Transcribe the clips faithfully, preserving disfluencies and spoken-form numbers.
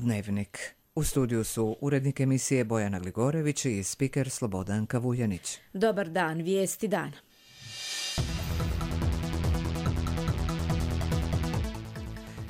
Dnevnik. U studiju su urednik emisije Bojana Gligorević i spiker Slobodanka Vujanić. Dobar dan, vijesti dana.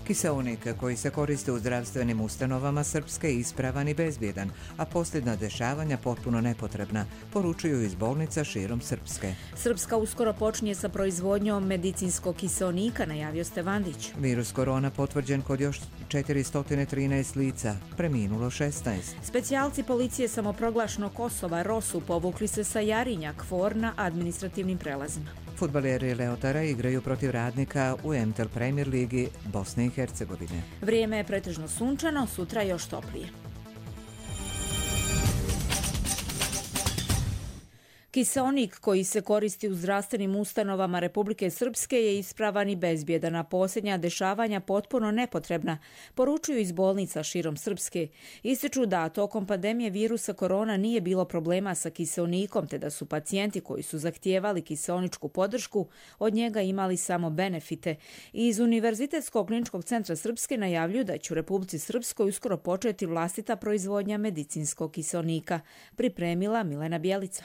Kiseonik koji se koristi u zdravstvenim ustanovama Srpske je ispravan i bezbjedan, a posljedna dešavanja potpuno nepotrebna, poručuju iz bolnica širom Srpske. Srpska uskoro počinje sa proizvodnjom medicinskog kiseonika, najavio Stevandić. Virus korona potvrđen kod još četiristo trinaest lica, preminulo šesnaest. Specijalci policije samoproglašenog Kosova Rosu povukli se sa Jarinja, Kvor na administrativnim prelazima. Fudbaleri Leotara igraju protiv Radnika u M T L Premier ligi Bosne i Hercegovine. Vrijeme je pretežno sunčano, sutra još toplije. Kiseonik koji se koristi u zdravstvenim ustanovama Republike Srpske je ispravan i bezbjedan, a posljednja dešavanja potpuno nepotrebna, poručuju iz bolnica širom Srpske. Ističu da tokom pandemije virusa korona nije bilo problema sa kiseonikom, te da su pacijenti koji su zahtijevali kiseoničku podršku od njega imali samo benefite. Iz Univerzitetskog kliničkog centra Srpske najavljuju da će u Republici Srpskoj uskoro početi vlastita proizvodnja medicinskog kiseonika, pripremila Milena Bjelica.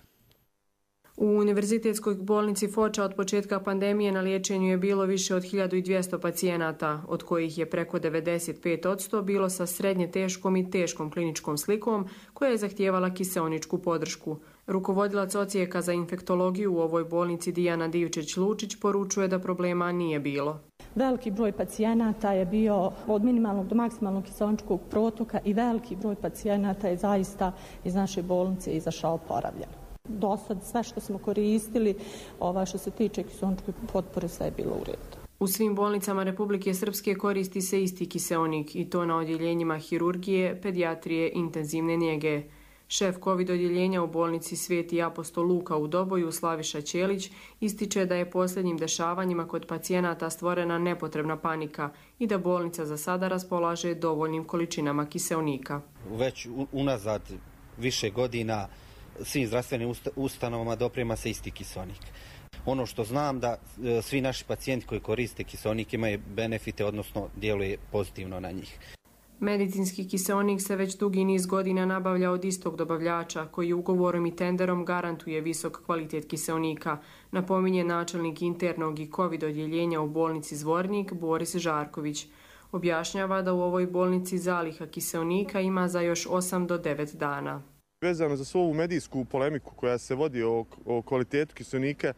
U Univerzitetskoj bolnici Foča od početka pandemije na liječenju je bilo više od hiljadu dvjesto pacijenata, od kojih je preko devedeset pet posto bilo sa srednje teškom i teškom kliničkom slikom koja je zahtijevala kiseoničku podršku. Rukovodilac odsjeka za infektologiju u ovoj bolnici Dijana Divčić-Lučić poručuje da problema nije bilo. Veliki broj pacijenata je bio od minimalnog do maksimalnog kiseoničkog protoka i veliki broj pacijenata je zaista iz naše bolnice izašao oporavljen. Do sad sve što smo koristili, ova što se tiče kiseoničke potpore, sve je bilo u redu. U svim bolnicama Republike Srpske koristi se isti kiseonik i to na odjeljenjima hirurgije, pedijatrije, intenzivne njege. Šef COVID odjeljenja u bolnici Sveti apostol Luka u Doboju, Slaviša Ćelić, ističe da je posljednjim dešavanjima kod pacijenata stvorena nepotrebna panika i da bolnica za sada raspolaže dovoljnim količinama kiseonika. Već unazad više godina svim zdravstvenim ustanovama doprema se isti kiseonik. Ono što znam da svi naši pacijenti koji koriste kiseonik imaju benefite, odnosno djeluje pozitivno na njih. Medicinski kiseonik se već dugi niz godina nabavlja od istog dobavljača koji ugovorom i tenderom garantuje visok kvalitet kiseonika, napominje načelnik internog i COVID odjeljenja u bolnici Zvornik Boris Žarković. Objašnjava da u ovoj bolnici zaliha kiseonika ima za još osam do devet dana. Vezano za svu ovu medijsku polemiku koja se vodi o, o kvalitetu kiseonika,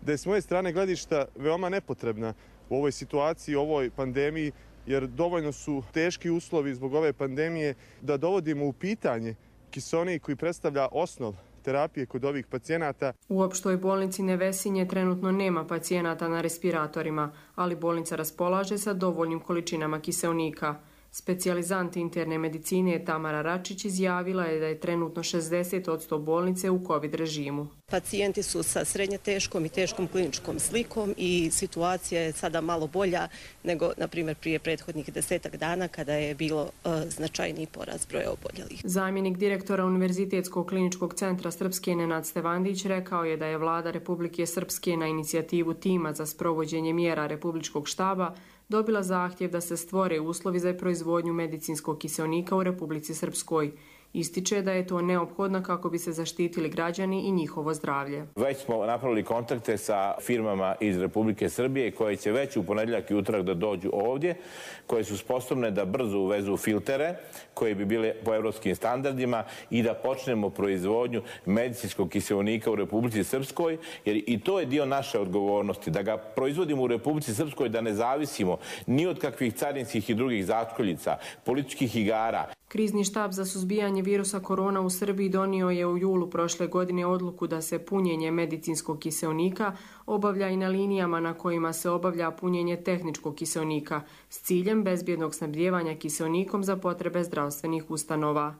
da je s moje strane gledišta veoma nepotrebna u ovoj situaciji, u ovoj pandemiji, jer dovoljno su teški uslovi zbog ove pandemije da dovodimo u pitanje kiseonik koji predstavlja osnov terapije kod ovih pacijenata. U opštoj bolnici Nevesinje trenutno nema pacijenata na respiratorima, ali bolnica raspolaže sa dovoljnim količinama kiseonika. Specijalizant interne medicine Tamara Račić izjavila je da je trenutno šezdeset posto bolnice u COVID režimu. Pacijenti su sa srednje teškom i teškom kliničkom slikom i situacija je sada malo bolja nego, na primjer, prije prethodnih desetak dana kada je bilo uh, značajniji porast broja oboljelih. Zamjenik direktora Univerzitetskog kliničkog centra Srpske Nenad Stevandić rekao je da je vlada Republike Srpske na inicijativu tima za sprovođenje mjera Republičkog štaba dobila zahtjev da se stvore uslovi za proizvodnju medicinskog kiseonika u Republici Srpskoj. Ističe da je to neophodno kako bi se zaštitili građani i njihovo zdravlje. Već smo napravili kontakte sa firmama iz Republike Srbije koje će već u ponedjeljak i utorak da dođu ovdje, koje su sposobne da brzo uvezu filtere koji bi bili po evropskim standardima i da počnemo proizvodnju medicinskog kiseonika u Republici Srpskoj, jer i to je dio naše odgovornosti, da ga proizvodimo u Republici Srpskoj, da ne zavisimo ni od kakvih carinskih i drugih začkoljica, političkih igara. Krizni štab za suzbijanje virusa korona u Srbiji donio je u julu prošle godine odluku da se punjenje medicinskog kiseonika obavlja i na linijama na kojima se obavlja punjenje tehničkog kiseonika s ciljem bezbjednog snabdijevanja kiseonikom za potrebe zdravstvenih ustanova.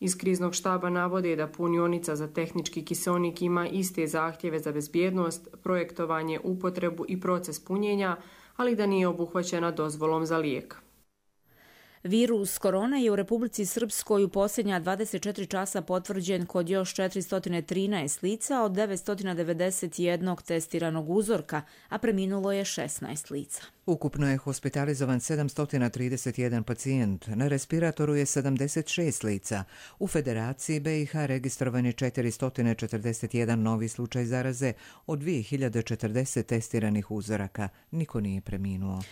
Iz kriznog štaba navode da punionica za tehnički kiseonik ima iste zahtjeve za bezbjednost, projektovanje, upotrebu i proces punjenja, ali da nije obuhvaćena dozvolom za lijek. Virus korona je u Republici Srpskoj u posljednja dvadeset četiri časa potvrđen kod još četiristo trinaest lica od devetsto devedeset jedan testiranog uzorka, a preminulo je šesnaest lica. Ukupno je hospitalizovan sedamsto trideset jedan pacijent, na respiratoru je sedamdeset šest lica. U Federaciji B i H registrovan je četiristo četrdeset jedan novi slučaj zaraze od dvije hiljade četrdeset testiranih uzoraka. Niko nije preminuo.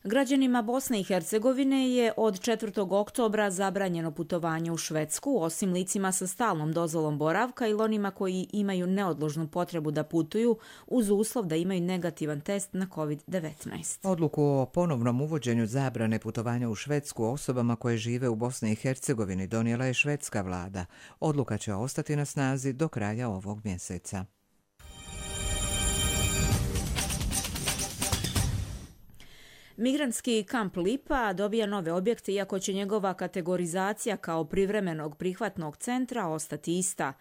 Građanima Bosne i Hercegovine je od četvrtog oktobra zabranjeno putovanje u Švedsku, osim licima sa stalnom dozvolom boravka ili onima koji imaju neodložnu potrebu da putuju uz uslov da imaju negativan test na kovid devetnaest. Odluku o ponovnom uvođenju zabrane putovanja u Švedsku osobama koje žive u Bosni i Hercegovini donijela je švedska vlada. Odluka će ostati na snazi do kraja ovog mjeseca. Migrantski kamp Lipa dobija nove objekte, iako će njegova kategorizacija kao privremenog prihvatnog centra ostati ista.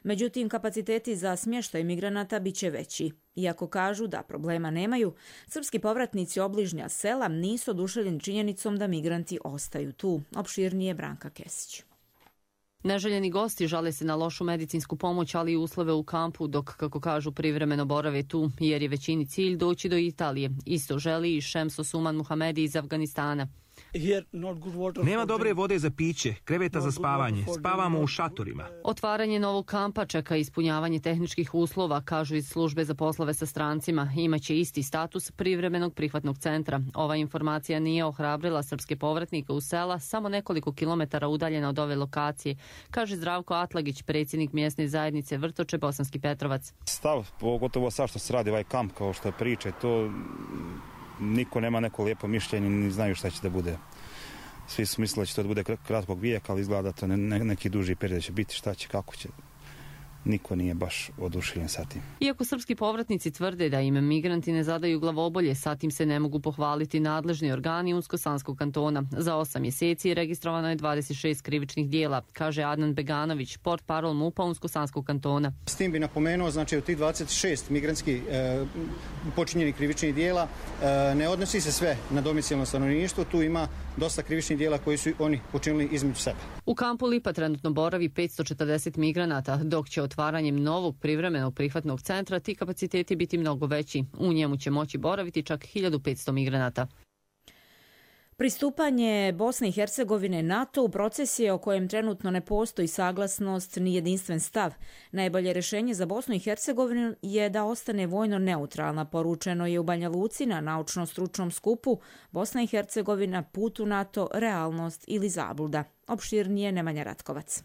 Međutim, kapaciteti za smještaj migranata bit će veći. Iako kažu da problema nemaju, srpski povratnici obližnja sela nisu oduševljeni činjenicom da migranti ostaju tu. Opširnije Branka Kesić. Neželjeni gosti žale se na lošu medicinsku pomoć, ali i uslove u kampu, dok, kako kažu, privremeno borave tu, jer je većini cilj doći do Italije. Isto želi i Šemso Suman Muhamedi iz Afganistana. Nema dobre vode za piće, kreveta za spavanje, spavamo u šatorima. Otvaranje novog kampa čeka ispunjavanje tehničkih uslova, kažu iz službe za poslove sa strancima. Imaće isti status privremenog prihvatnog centra. Ova informacija nije ohrabrila srpske povratnike u sela, samo nekoliko kilometara udaljena od ove lokacije, kaže Zdravko Atlagić, predsjednik mjesne zajednice Vrtoče, Bosanski Petrovac. Stav, pogotovo sad što se radi ovaj kamp, kao što priče, to niko nema neko lijepo mišljenje, ni znaju šta će da bude. Svi su mislili da će to da bude kratkog vijeka, ali izgleda to ne, ne, neki duži period će biti, šta će, kako će. Niko nije baš oduševljen sa tim. Iako srpski povratnici tvrde da im migranti ne zadaju glavobolje, sa tim se ne mogu pohvaliti nadležni organi Unsko-Sanskog kantona. Za osam mjeseci registrovano je dvadeset šest krivičnih dijela, kaže Adnan Beganović, portparol MUP-a Unsko-Sanskog kantona. S tim bi napomenuo, znači od tih dvadeset šest migrantskih e, počinjenih krivičnih dijela e, ne odnosi se sve na domicilno stanovništvo, tu ima dosta krivičnih dijela koji su oni počinili između sebe. U kampu Lipa trenutno boravi petsto četrdeset migranata, dok će otvaranjem novog privremenog prihvatnog centra ti kapaciteti biti mnogo veći. U njemu će moći boraviti čak hiljadu petsto migranata. Pristupanje Bosne i Hercegovine NATO u proces je o kojem trenutno ne postoji saglasnost ni jedinstven stav. Najbolje rješenje za Bosnu i Hercegovinu je da ostane vojno neutralna, poručeno je u Banja Luci na naučno-stručnom skupu Bosna i Hercegovina, put u NATO, realnost ili zabluda. Opširnije Nemanja Ratkovac.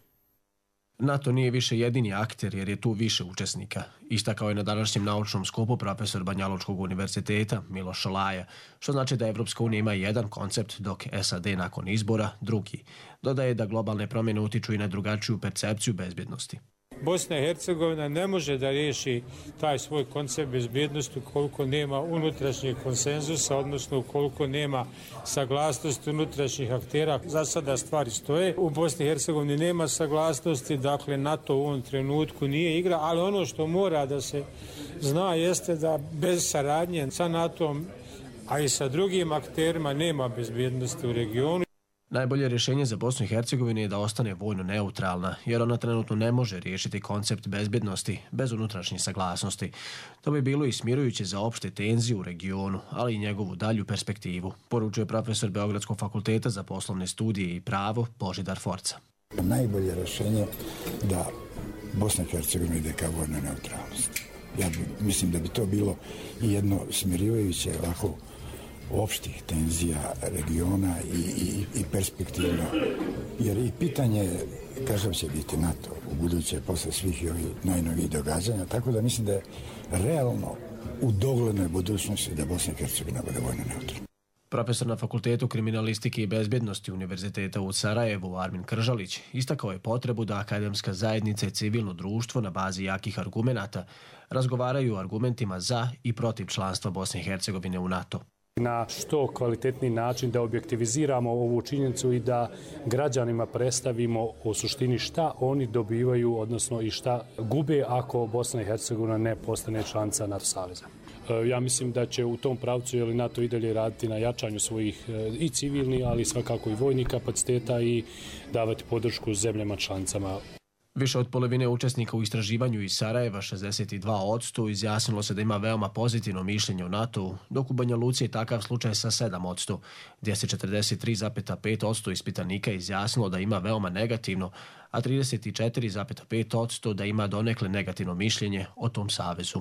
NATO nije više jedini akter jer je tu više učesnika. Istakao je na današnjem naučnom skupu profesor Banjalučkog univerziteta Miloš Šolaja, što znači da Evropska unija ima jedan koncept, dok S A D nakon izbora drugi. Dodaje da globalne promjene utiču i na drugačiju percepciju bezbjednosti. Bosna i Hercegovina ne može da riješi taj svoj koncept bezbjednosti ukoliko nema unutrašnjeg konsenzusa, odnosno ukoliko nema saglasnosti unutrašnjih aktera. Za sada stvari stoje. U Bosni i Hercegovini nema saglasnosti, dakle NATO u ovom trenutku nije igra, ali ono što mora da se zna jeste da bez saradnje sa NATO-om, a i sa drugim akterima nema bezbjednosti u regionu. Najbolje rješenje za Bosnu i Hercegovinu je da ostane vojno neutralna, jer ona trenutno ne može riješiti koncept bezbjednosti bez unutrašnje saglasnosti. To bi bilo i smirujuće za opšte tenzije u regionu, ali i njegovu dalju perspektivu, poručuje profesor Beogradskog fakulteta za poslovne studije i pravo Božidar Forca. Najbolje rješenje da Bosna i Hercegovina ide ka vojnoj neutralnosti. Ja mislim da bi to bilo i jedno smirivajuće ovako opštih tenzija regiona i, i, i perspektivno. Jer i pitanje kakav će biti NATO u buduće posle svih ovih najnovijih događanja, tako da mislim da je realno u doglednoj budućnosti da Bosna i Hercegovina bude vojno neutralna. Profesor na Fakultetu kriminalistike i bezbjednosti Univerziteta u Sarajevu Armin Kržalić istakao je potrebu da akademska zajednica i civilno društvo na bazi jakih argumenata razgovaraju o argumentima za i protiv članstva Bosne i Hercegovine u NATO. Na što kvalitetniji način da objektiviziramo ovu činjenicu i da građanima predstavimo u suštini šta oni dobivaju, odnosno i šta gube ako Bosna i Hercegovina ne postane članica NATO saveza. Ja mislim da će u tom pravcu je li NATO i dalje raditi na jačanju svojih i civilnih, ali svakako i vojnih kapaciteta i davati podršku zemljama članicama. Više od polovine učesnika u istraživanju iz Sarajeva, šezdeset dva posto, izjasnilo se da ima veoma pozitivno mišljenje o NATO-u, dok u Banja Luci je takav slučaj sa sedam posto, gdje se četrdeset tri zarez pet posto ispitanika izjasnilo da ima veoma negativno, a trideset četiri zarez pet posto da ima donekle negativno mišljenje o tom savezu.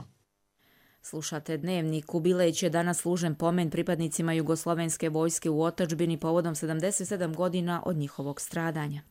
Slušate Dnevnik. U Bileći je danas služen pomen pripadnicima Jugoslovenske vojske u otadžbini povodom sedamdeset sedam godina od njihovog stradanja.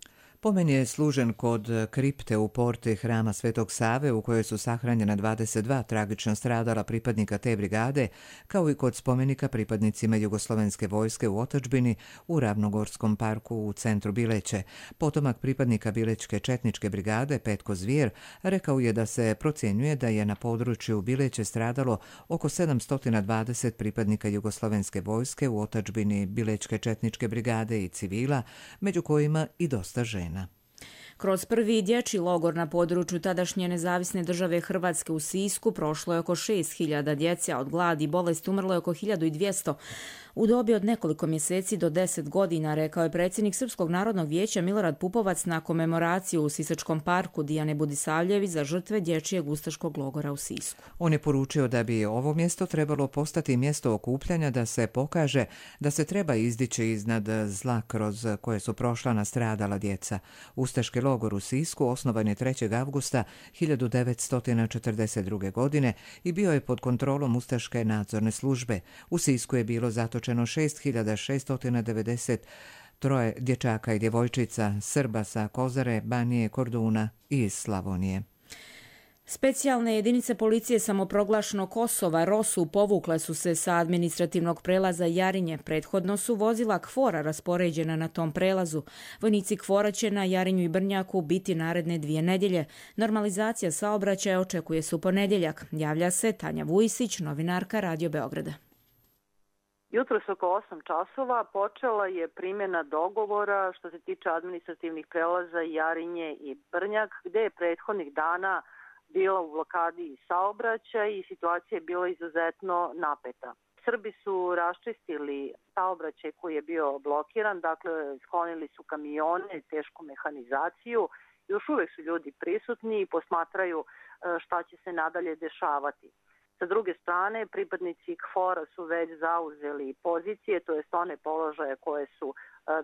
Pomen je služen kod kripte u porti Hrama Svetog Save u kojoj su sahranjena dvadeset dva tragično stradala pripadnika te brigade, kao i kod spomenika pripadnicima Jugoslovenske vojske u otadžbini u Ravnogorskom parku u centru Bileće. Potomak pripadnika Bilećke četničke brigade Petko Zvijer rekao je da se procjenjuje da je na području Bileće stradalo oko sedamsto dvadeset pripadnika Jugoslovenske vojske u otadžbini Bilećke četničke brigade i civila, među kojima i dosta žena. Kroz prvi dječji logor na području tadašnje nezavisne države Hrvatske u Sisku prošlo je oko šest hiljada djece, a od gladi i bolesti umrlo je oko hiljadu dvjesto u dobi od nekoliko mjeseci do deset godina, rekao je predsjednik Srpskog narodnog vijeća Milorad Pupovac na komemoraciju u Sisačkom parku Dijane Budisavljević za žrtve dječjeg ustaškog logora u Sisku. On je poručio da bi ovo mjesto trebalo postati mjesto okupljanja, da se pokaže da se treba izdići iznad zla kroz koje su prošla nastradala djeca. Ustaški logor u Sisku osnovan je trećeg avgusta hiljadu devetsto četrdeset druge. godine i bio je pod kontrolom Ustaške nadzorne službe. U Sisku je bilo zatočeno šest hiljada šeststo devedeset troje dječaka i djevojčica, Srba sa Kozare, Banije, Korduna i iz Slavonije. Specijalne jedinice policije samoproglašenog Kosova Rosu povukle su se sa administrativnog prelaza Jarinje. Prethodno su vozila Kfora raspoređena na tom prelazu. Vojnici Kfora će na Jarinju i Brnjaku biti naredne dvije nedjelje. Normalizacija saobraćaja očekuje se u ponedjeljak. Javlja se Tanja Vujisić, novinarka Radio Beograda. Jutros oko osam časova počela je primjena dogovora što se tiče administrativnih prelaza Jarinje i Brnjak, gdje je prethodnih dana bila u blokadi saobraćaj i situacija je bila izuzetno napeta. Srbi su raščistili saobraćaj koji je bio blokiran, dakle sklonili su kamione, tešku mehanizaciju. Još uvijek su ljudi prisutni i posmatraju šta će se nadalje dešavati. Sa druge strane, pripadnici Kfora su već zauzeli pozicije, to jest one položaje koje su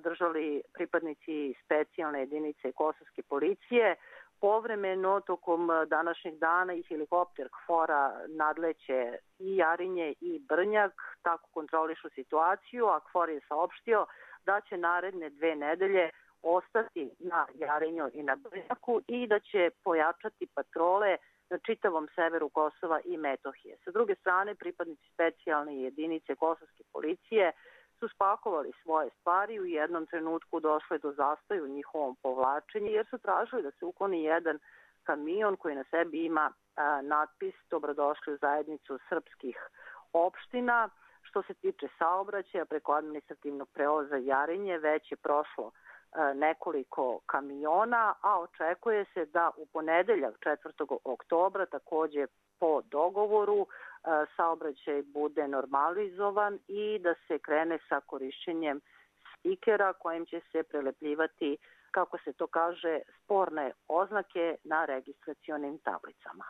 držali pripadnici specijalne jedinice kosovske policije. Povremeno, tokom današnjeg dana i helikopter Kfora nadleće i Jarinje i Brnjak, tako kontrolišu situaciju, a Kfor je saopštio da će naredne dve nedelje ostati na Jarinju i na Brnjaku i da će pojačati patrole na čitavom severu Kosova i Metohije. Sa druge strane, pripadnici specijalne jedinice kosovske policije su spakovali svoje stvari i u jednom trenutku došli do zastoja u njihovom povlačenju jer su tražili da se ukloni jedan kamion koji na sebi ima a, natpis Dobrodošli u zajednicu srpskih opština. Što se tiče saobraćaja preko administrativnog prelaza Jarinje, već je prošlo a, nekoliko kamiona, a očekuje se da u ponedeljak četvrtog oktobra također po dogovoru saobraćaj bude normalizovan i da se krene sa korišćenjem stikera kojim će se prelepljivati, kako se to kaže, sporne oznake na registracionim tablicama.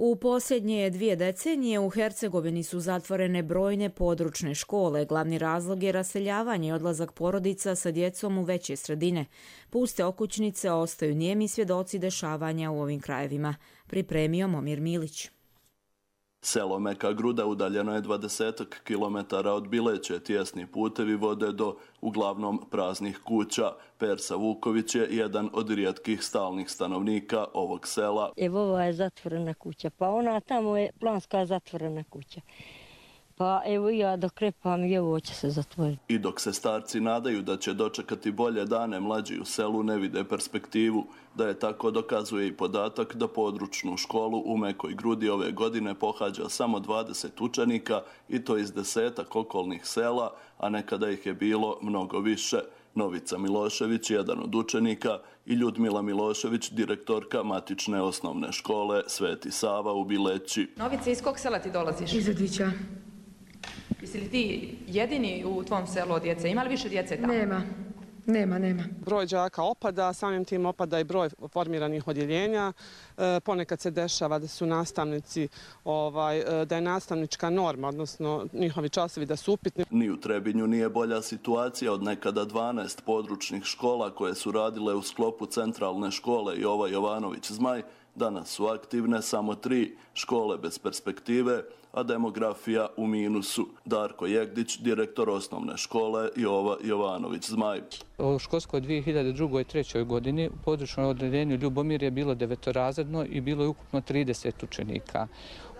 U posljednje dvije decenije u Hercegovini su zatvorene brojne područne škole. Glavni razlog je raseljavanje i odlazak porodica sa djecom u veće sredine. Puste okućnice ostaju nijemi svjedoci dešavanja u ovim krajevima. Pripremio Momir Milić. Selo Meka Gruda udaljeno je dvadesetak kilometara od Bileće. Tijesni putevi vode do uglavnom praznih kuća. Persa Vuković je jedan od rijetkih stalnih stanovnika ovog sela. Evo ova je zatvorena kuća, pa ona tamo je planska zatvorena kuća. Pa evo ja dok krepam i ovo će se zatvoriti. I dok se starci nadaju da će dočekati bolje dane, mlađi u selu ne vide perspektivu. Da je tako dokazuje i podatak da područnu školu u Mekoj Grudi ove godine pohađa samo dvadeset učenika i to iz desetak okolnih sela, a nekada ih je bilo mnogo više. Novica Milošević, jedan od učenika, i Ljudmila Milošević, direktorka matične osnovne škole Sveti Sava u Bileći. Novice, iz kog sela ti dolaziš? Iz Adića. Jesi li ti jedini u tvom selu od djece? Ima li više djece tamo? Nema. Nema, nema. Broj đaka opada, samim tim opada i broj formiranih odjeljenja. E, ponekad se dešava da su nastavnici, ovaj, da je nastavnička norma, odnosno njihovi časovi da su upitni. Ni u Trebinju nije bolja situacija od nekada dvanaest područnih škola koje su radile u sklopu centralne škole Jova Jovanović Zmaj. Danas su aktivne samo tri škole bez perspektive, a demografija u minusu. Darko Jegdić, direktor osnovne škole Jova Jovanović Zmaj. U školskoj dvije hiljade druge i trećoj godini u područnom odeljenju Ljubomir je bilo devetorazredno i bilo je ukupno trideset učenika.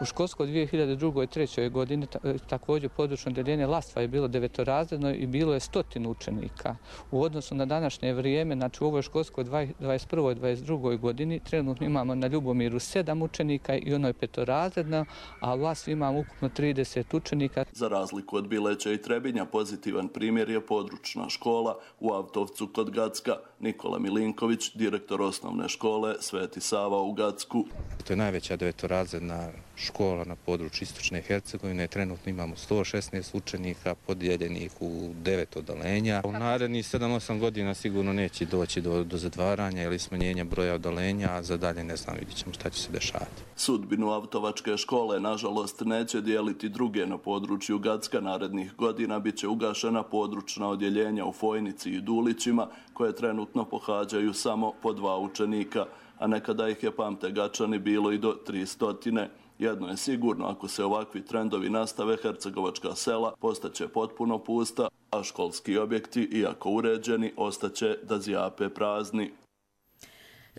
U školskoj dvije hiljade druge i trećoj godini također područno odeljenje Lastva je bilo devetorazredno i bilo je stotinu učenika. U odnosu na današnje vrijeme, znači u ovoj školskoj dvadeset prvoj dvadeset drugoj godini trenutno imamo na Ljubomiru sedam učenika i ono je petorazredno, a u Lastvi imamo ukupno trideset učenika. Za razliku od Bileća i Trebinja, pozitivan primjer je područna škola u Avtovcu kod Gacka. Nikola Milinković, direktor osnovne škole Sveti Sava u Gacku. To je najveća devetorazredna škola na području Istočne Hercegovine. Trenutno imamo sto šesnaest učenika podijeljenih u devet odeljenja. U narednih sedam osam godina sigurno neće doći do, do zatvaranja ili smanjenja broja odeljenja, a za dalje ne znam, vidjet ćemo šta će se dešavati. Sudbinu Avtovačke škole, nažalost, neće dijeliti druge na području Gacka. Narednih godina bit će ugašena područna odjeljenja u Fojnici i Dulićima, koje trenutno pohađaju samo po dva učenika, a nekada ih je, pamte Gačani, bilo i do tristotine. Jedno je sigurno, ako se ovakvi trendovi nastave, hercegovačka sela postaće potpuno pusta, a školski objekti, iako uređeni, ostaće da zjape prazni.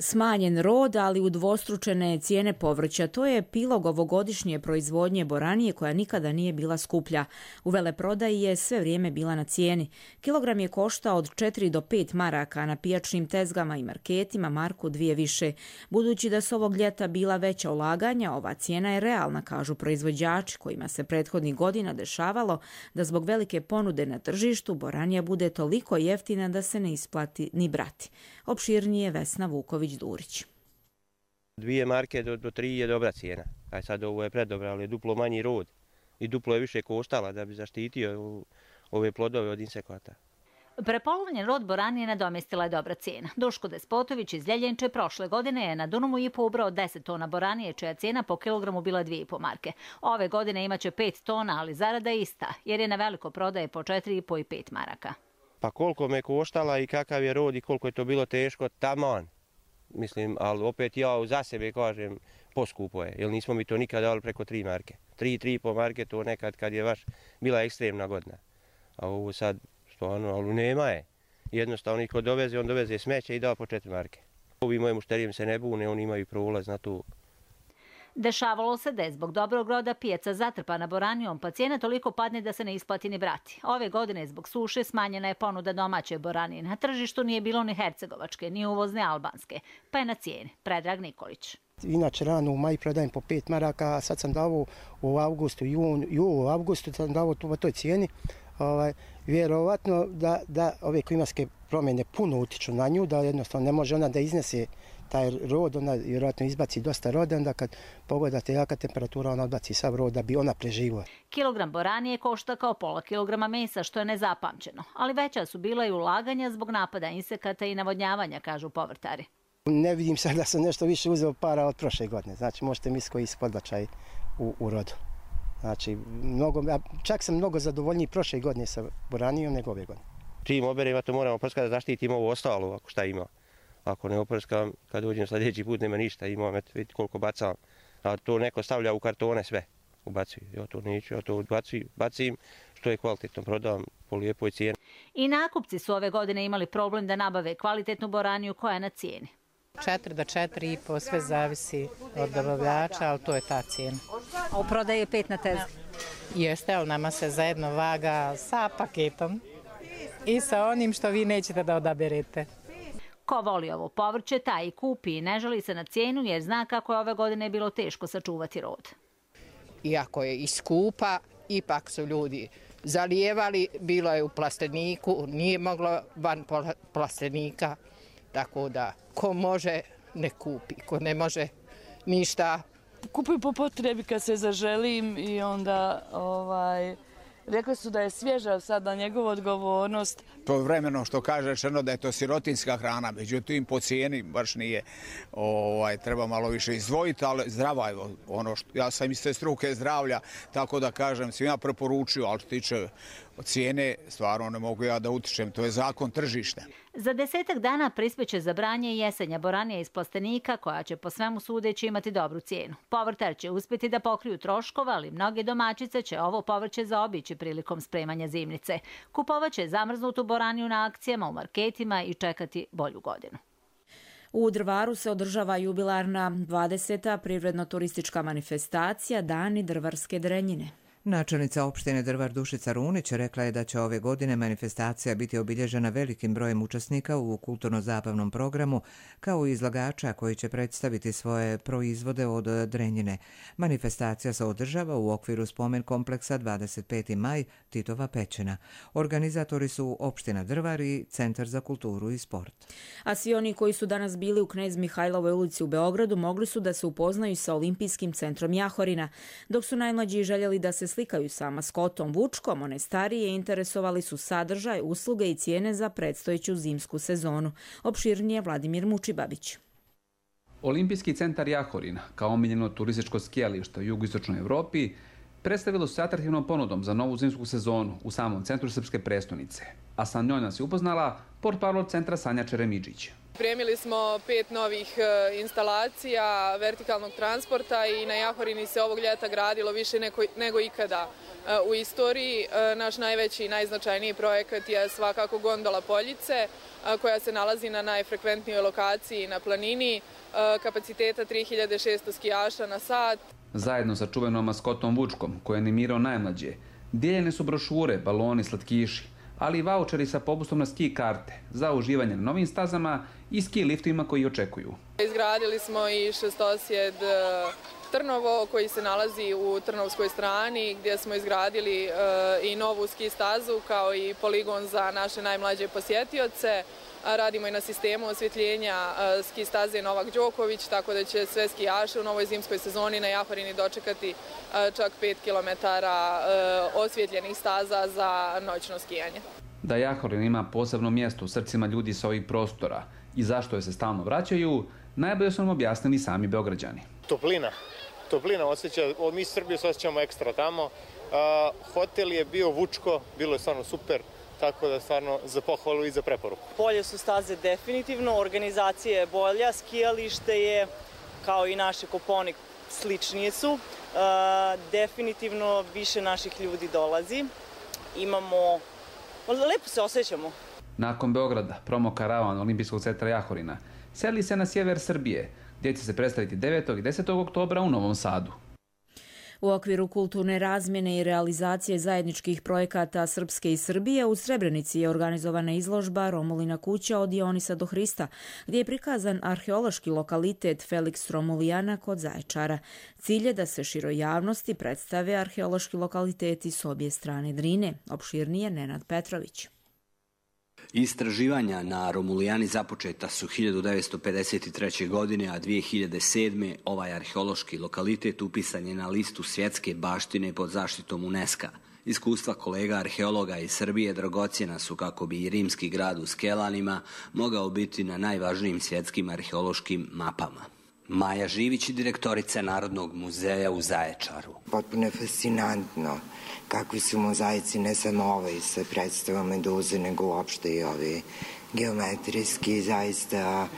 Smanjen rod, ali udvostručene cijene povrća. To je epilog ovogodišnje proizvodnje boranije koja nikada nije bila skuplja. U veleprodaji je sve vrijeme bila na cijeni. Kilogram je koštao od četiri do pet maraka, na pijačnim tezgama i marketima marku dvije više. Budući da su ovog ljeta bila veća ulaganja, ova cijena je realna, kažu proizvođači, kojima se prethodnih godina dešavalo da zbog velike ponude na tržištu boranija bude toliko jeftina da se ne isplati ni brati. Opširnije Vesna Vuković-Durić. Dvije marke do, do tri je dobra cijena. Aj sad ovo je predobra, ali je duplo manji rod i duplo je više koštala da bi zaštitio ove plodove od insekata. Prepolovljen rod boranije nadomjestila je dobra cijena. Duško Despotović iz Ljeljenče prošle godine je na Dunamu i po ubrao deset tona boranije, čija cijena po kilogramu bila dvije i po marke. Ove godine imaće pet tona, ali zarada je ista, jer je na veliko prodaje po četiri i po i pet maraka. Pa koliko me koštala i kakav je rod i koliko je to bilo teško, taman. Mislim, ali opet ja za sebe kažem, poskupo je, jer nismo mi to nikad dali preko tri marke. Tri, tri i po marke to nekad kad je baš bila ekstremna godina. A ovo sad, stvarno, ali nema je. Jednostavno, ko doveze, on doveze smeće i da po četiri marke. Ovi moji mušterijem se ne bune, oni imaju prolaz na to. Dešavalo se da je zbog dobrog roda pijaca zatrpana boranijom, pa cijena toliko padne da se ne isplati ni brati. Ove godine zbog suše smanjena je ponuda domaće boranije. Na tržištu nije bilo ni hercegovačke, ni uvozne albanske, pa je na cijeni. Predrag Nikolić. Inače rano u maju prodajem po pet maraka, a sad sam dao u avgustu, jun, julu, avgustu sam dao po toj cijeni. Ovaj, vjerovatno da, da ove klimatske promjene puno utiču na nju, da jednostavno ne može ona da iznese taj rod, ona vjerojatno izbaci dosta roda, onda kad pogledate jaka temperatura, ona odbaci sav rod da bi ona preživila. Kilogram boranije košta kao pola kilograma mesa, što je nezapamćeno, ali veća su bila i ulaganja zbog napada insekata i navodnjavanja, kažu povrtari. Ne vidim sad da sam nešto više uzeo para od prošle godine, znači možete misliti koji su podbačaj u, u rodu. Znači, mnogo, čak sam mnogo zadovoljniji prošle godine sa boranijom nego ove godine. Čim oberemo, to moramo prskati da zaštitimo ovo ostalo, ako šta ima. Ako ne oprskam, kad uđem sljedeći put nema ništa, imam, eto, vidite koliko bacam. A to neko stavlja u kartone sve, ubacuju. Ja to neću, ja to ubacuju, bacim, što je kvalitetno, prodam po lijepoj cijeni. I nakupci su ove godine imali problem da nabave kvalitetnu boraniju koja je na cijeni. Četiri do četiri i po, sve zavisi od dobavljača, ali to je ta cijena. A u prodaji je pet na tezgi? Jeste, ali nama se zajedno vaga sa paketom i sa onim što vi nećete da odaberete. Ko voli ovo povrće, taj i kupi i ne žali se na cijenu jer zna kako je ove godine bilo teško sačuvati rod. Iako je i skupa, ipak su ljudi zalijevali, bilo je u plasteniku, nije moglo van plastenika, tako da ko može ne kupi, ko ne može ništa. Kupujem po potrebi kad se zaželim i onda ovaj, rekli su da je svježa sada njegova odgovornost. To je vremeno što kaže rečeno da je to sirotinska hrana, međutim po cijeni baš nije, ovaj, treba malo više izdvojiti, ali zdrava je ono što, ja sam iz te struke zdravlja, tako da kažem, svima preporučio, ali što tiče cijene, stvarno ne mogu ja da utičem, to je zakon tržišta. Za desetak dana prispeće za branje jesenja boranija iz plastenika koja će po svemu sudeći imati dobru cijenu. Povrtar će uspjeti da pokriju troškova, ali mnoge domaćice će ovo povrće zaobići prilikom spremanja zimnice. Kupovat će zamrznutu boraniju na akcijama u marketima i čekati bolju godinu. U Drvaru se održava jubilarna dvadeseta privredno-turistička manifestacija Dani drvarske drenjine. Načelnica opštine Drvar Dušica Runić rekla je da će ove godine manifestacija biti obilježena velikim brojem učesnika u kulturno-zabavnom programu, kao i izlagača koji će predstaviti svoje proizvode od drenjine. Manifestacija se održava u okviru spomen kompleksa dvadeset peti maj Titova pećina. Organizatori su opština Drvar i Centar za kulturu i sport. A svi oni koji su danas bili u Knez Mihajlovoj ulici u Beogradu mogli su da se upoznaju sa Olimpijskim centrom Jahorina, dok su najmlađi željeli da se slikaju sa maskotom Vučkom, one starije interesovali su sadržaj, usluge i cijene za predstojeću zimsku sezonu. Opširnije Vladimir Mučibabić. Olimpijski centar Jahorin, kao omiljeno turističko skijalište u jugoistočnoj Evropi, predstavilo se atraktivnom ponudom za novu zimsku sezonu u samom centru srpske prestonice. A sa njoj nas je upoznala portparol centra Sanja Čeremiđić. Pripremili smo pet novih instalacija vertikalnog transporta i na Jahorini se ovog ljeta gradilo više nego, nego ikada u istoriji. Naš najveći i najznačajniji projekat je svakako gondola Poljice, koja se nalazi na najfrekventnijoj lokaciji na planini, kapaciteta tri hiljade šesto skijaša na sat. Zajedno sa čuvenom maskotom Vučkom, koji je animirao najmlađe, dijeljene su brošure, baloni, slatkiši, ali i vaučeri sa popustom na ski karte za uživanje na novim stazama i ski liftovima koji očekuju. Izgradili smo i šestosjed Trnovo koji se nalazi u Trnovskoj strani, gdje smo izgradili i novu ski stazu kao i poligon za naše najmlađe posjetioce. Radimo i na sistemu osvjetljenja ski staze Novak Đoković, tako da će sve skijaše u novoj zimskoj sezoni na Jahorini dočekati čak pet kilometara osvjetljenih staza za noćno skijanje. Da Jahorin ima posebno mjesto u srcima ljudi sa ovih prostora i zašto je se stalno vraćaju, najbolje su nam objasnili sami Beograđani. Toplina. Toplina osjeća, mi Srbije se osjećamo ekstra tamo. Hotel je bio Vučko, bilo je stvarno super. Tako da stvarno za pohvalu i za preporuku. Bolje su staze definitivno, organizacija je bolja, skijalište je, kao i naše Koponik, sličnije su. E, definitivno više naših ljudi dolazi. Imamo, lepo se osjećamo. Nakon Beograda, promo karavan Olimpijskog centra Jahorina seli se na sjever Srbije, gdje će se predstaviti devetog i desetog oktobra u Novom Sadu. U okviru kulturne razmjene i realizacije zajedničkih projekata Srpske i Srbije u Srebrenici je organizovana izložba Romulina kuća od Dionisa do Hrista, gdje je prikazan arheološki lokalitet Felix Romulijana kod Zaječara. Cilj je da se široj javnosti predstave arheološki lokaliteti s obje strane Drine. Opširnije Nenad Petrović. Istraživanja na Romulijani započeta su hiljadu devetsto pedeset treće. godine, a dvije hiljade sedme. ovaj arheološki lokalitet upisan je na listu svjetske baštine pod zaštitom UNESCO-a. Iskustva kolega arheologa iz Srbije dragocjena su kako bi i rimski grad u Skelanima mogao biti na najvažnijim svjetskim arheološkim mapama. Maja Živić, direktorica Narodnog muzeja u Zaječaru. Potpuno je fascinantno kakvi su mozaici, ne samo ovaj sa predstavom Meduze, nego uopšte i ovi geometrijski. Zaista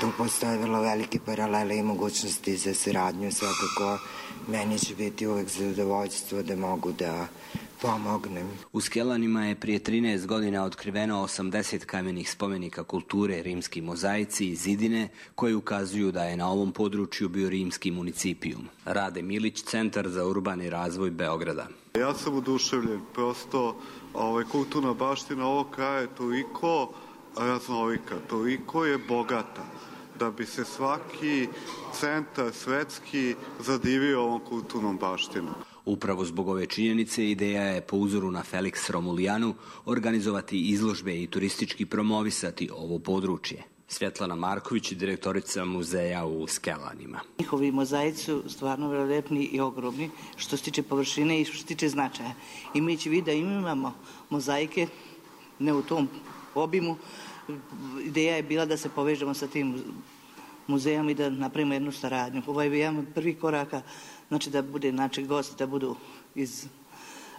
tu postoje vrlo velike paralele i mogućnosti za saradnju. Svakako meni će biti uvek zadovoljstvo da mogu da pomognem. U Skelanima je prije trinaest godina otkriveno osamdeset kamenih spomenika kulture rimski mozaici i zidine koji ukazuju da je na ovom području bio rimski municipijum. Rade Milić, Centar za urbani razvoj Beograda. Ja sam oduševljen, prosto ovaj, kulturna baština ovog kraja je toliko raznolika, toliko je bogata da bi se svaki centar svetski zadivio ovom kulturnom baštinom. Upravo zbog ove činjenice ideja je po uzoru na Felix Romulijanu organizovati izložbe i turistički promovisati ovo područje. Svjetlana Marković, direktorica muzeja u Skelanima. Njihovi mozaici su stvarno velilepni i ogromni što se tiče površine i što se tiče značaja. Imajući vid da imamo mozaike ne u tom obimu, ideja je bila da se povežemo sa tim muzejom i da napravimo jednu saradnju. Ovo je jedan od prvih koraka, znači da bude naši gosti, da budu iz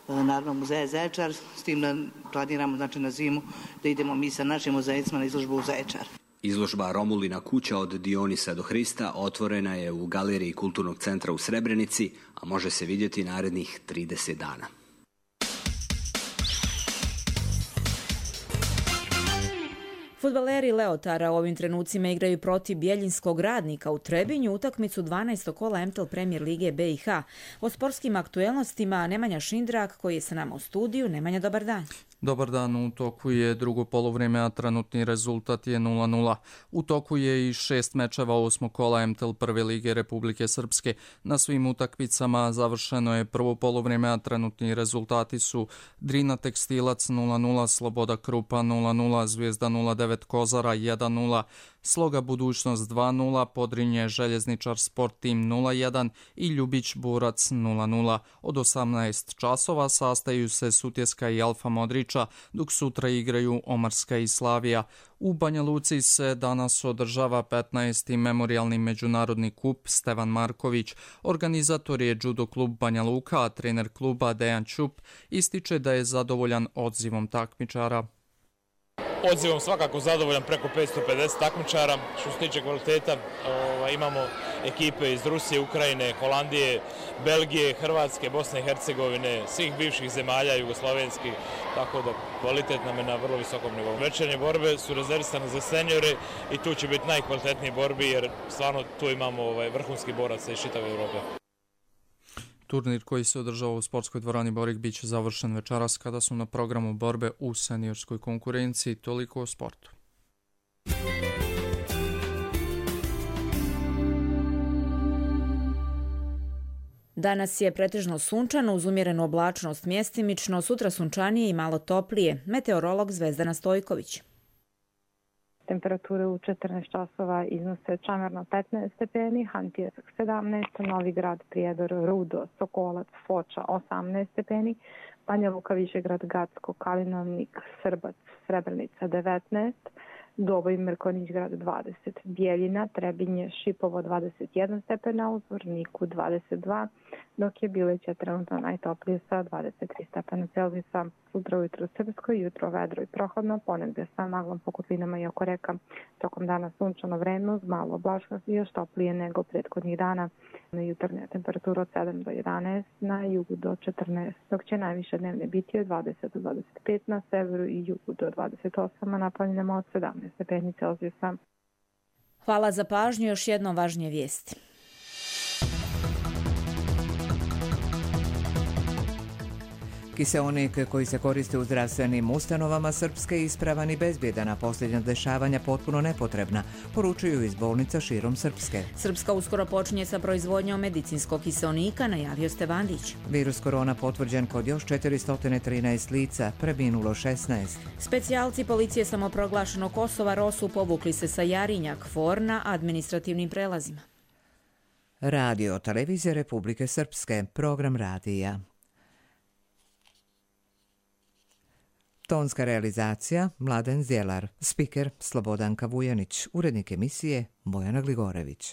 Narodnog muzeja Zaječar, s tim da planiramo znači, na zimu da idemo mi sa našim mozaicima na izložbu u Zaječar. Izložba Romulina kuća od Dionisa do Hrista otvorena je u galeriji Kulturnog centra u Srebrenici, a može se vidjeti narednih trideset dana. Fudbaleri Leotara u ovim trenucima igraju protiv Bjeljinskog Radnika u Trebinju utakmicu dvanaestog kola M T L Premier Lige B i H. O sportskim aktuelnostima Nemanja Šindrak koji je sa nama u studiju. Nemanja, dobar dan. Dobar dan, u toku je drugo polovrijeme, a trenutni rezultat je nula nula. U toku je i šest mečeva osmog kola M T L Prve lige Republike Srpske. Na svim utakmicama završeno je prvo polovrijeme, a trenutni rezultati su Drina Tekstilac nula nula, Sloboda Krupa nula nula, Zvijezda nula devet Kozara jedan nula, Sloga Budućnost dva nula, Podrinje Željezničar Sport Tim nula jedan i Ljubić Borac nula nula. Od osamnaest časova sastaju se Sutjeska i Alfa Modrića, dok sutra igraju Omarska i Slavija. U Banja Luci se danas održava petnaesti memorijalni međunarodni kup Stevan Marković. Organizator je judo klub Banja Luka, a trener kluba Dejan Ćup ističe da je zadovoljan odzivom takmičara. Odzivom svakako zadovoljan, preko petsto pedeset takmičara. Što se tiče kvaliteta, ovaj, imamo ekipe iz Rusije, Ukrajine, Holandije, Belgije, Hrvatske, Bosne i Hercegovine, svih bivših zemalja jugoslovenskih, tako da kvalitet nam je na vrlo visokom nivou. Večernje borbe su rezervisane za seniore i tu će biti najkvalitetniji borbi jer stvarno tu imamo ovaj, vrhunski boraca iz čitave Europe. Turnir koji se održava u sportskoj dvorani Borik bit će završen večeras kada su na programu borbe u seniorskoj konkurenciji. Toliko o sportu. Danas je pretežno sunčano uz umjerenu oblačnost mjestimično, sutra sunčanije i malo toplije. Meteorolog Zvezdana Stojković. Temperature u četrnaest časova iznose Čamerno petnaest stepeni, Hantijevsk sedamnaest, Novi Grad, Prijedor, Rudo, Sokolac, Foča osamnaest stepeni, Banja Luka, Višegrad, Gacko, Kalinovnik, Srbac, Srebrenica devetnaest, Doboj, Mrkonjić-grad dvadeset, Bijeljina, Trebinje, Šipovo dvadeset jedan stepena, u Zvorniku dvadeset dva, dok je Bileća trenutno najtoplije sa dvadeset tri stepena Celzijusa. Sutra ujutro srpsko, jutro vedro i prohladno, ponegde sa maglom po kotlinama i oko reka. Tokom dana sunčano vreme uz malo oblačnosti i još toplije nego prethodnih dana. Na jutarnja temperatura od sedam do jedanaest, na jugu do četrnaest, dok će najviše dnevne biti od dvadeset do dvadeset pet na severu i jugu do dvadeset osam, a na planinama od sedamnaest stepeni Celzijusa. Hvala za pažnju, još jedno važnije vijesti. Kiseonik koji se koriste u zdravstvenim ustanovama Srpske ispravan i bezbjedan, a posljednja dešavanja potpuno nepotrebna, poručuju iz bolnica širom Srpske. Srpska uskoro počinje sa proizvodnjom medicinskog kiseonika, najavio Stevandić. Virus korona potvrđen kod još četiristo trinaest lica, preminulo šesnaest. Specijalci policije samoproglašenog Kosova Rosu povukli se sa Jarinja, Kvor na administrativnim prelazima. Radio televizije Republike Srpske, program radija. Tonska realizacija Mladen Zjelar, spiker Slobodanka Vujanić, urednik emisije Bojana Gligorević.